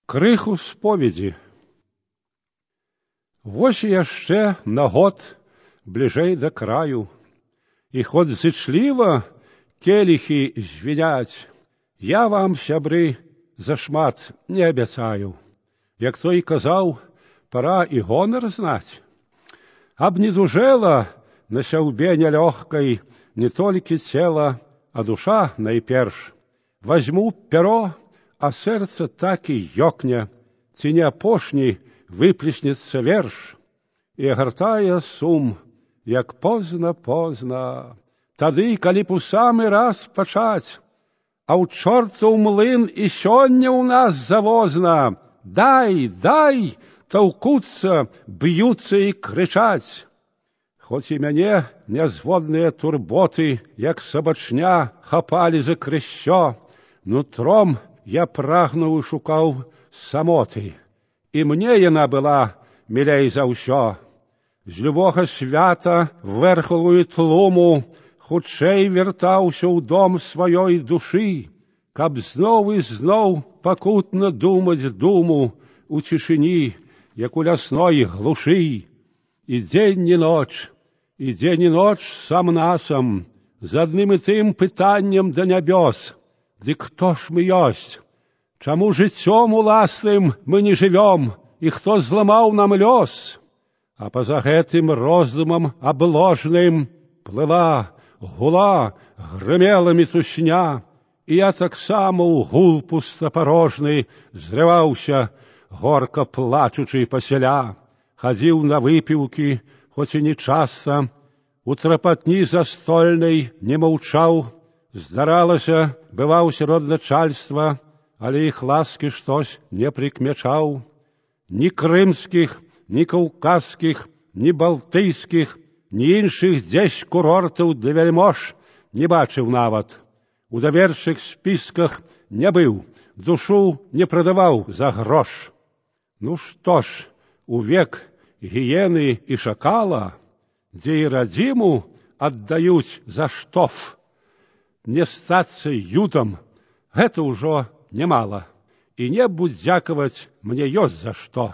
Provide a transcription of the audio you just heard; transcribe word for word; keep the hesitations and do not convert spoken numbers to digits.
Крыху споведзі. Вось яшчэ на год бліжэй да краю, і хоць зычліва келіхі звіняць, я вам, сябры, зашмат не абяцаю. Як той казаў, пара і гонар знаць. Аб не дужэла на сяўбе нялёгкай не толькі цела, а душа найперш. Вазьму пяро, а сэрца так і ёкне, ці не апошні выплеснецца верш, і агартае сум, як позна-позна. Тады, калі б у самы раз пачаць, а ў чортаў млын і сёння ў нас завозна, дай, дай, таўкуцца, б'юцца і крычаць. Хоць і мяне нязводныя турботы, як сабачня, хапалі за крыссё, нутром я прагнуў і шукаў самоты, і мне яна была мілей за ўсё. З любога свята вэрхалую тлуму хутчэй вяртаўся ў дом сваёй душы, каб зноў і зноў пакутна думаць думу у цішыні, як у лясной глушы. І дзень і ноч, і дзень і ноч сам-насам, з адным і тым пытаннем да нябёс: дык хто ж мы ёсць? Чаму жыццём уласным мы не жывём, і хто зламаў нам лёс? А па-за гэтым роздумам абложным плыла, гула, грымела мітусня, і я таксама ў гул пустапарожны зрываўся, горка плачучы пасяля. Хадзіў на выпіўкі, хоць і не часта, у трапатні застольнай не маўчаў. Здаралася, бываў сярод начальства, але іх ласкі штось не прыкмячаў. Ні крымскіх, ні каўказскіх, ні балтыйскіх, ні іншых дзесь курортаў для вяльмож не бачыў нават. У даверчых спісках не быў, душу не прадаваў за грош. Ну што ж, у век гіены і шакала, дзе і радзіму аддаюць за штоф, не стацца ютам, гэта ўжо немала, і небу дзякаваць мне ёсць за што.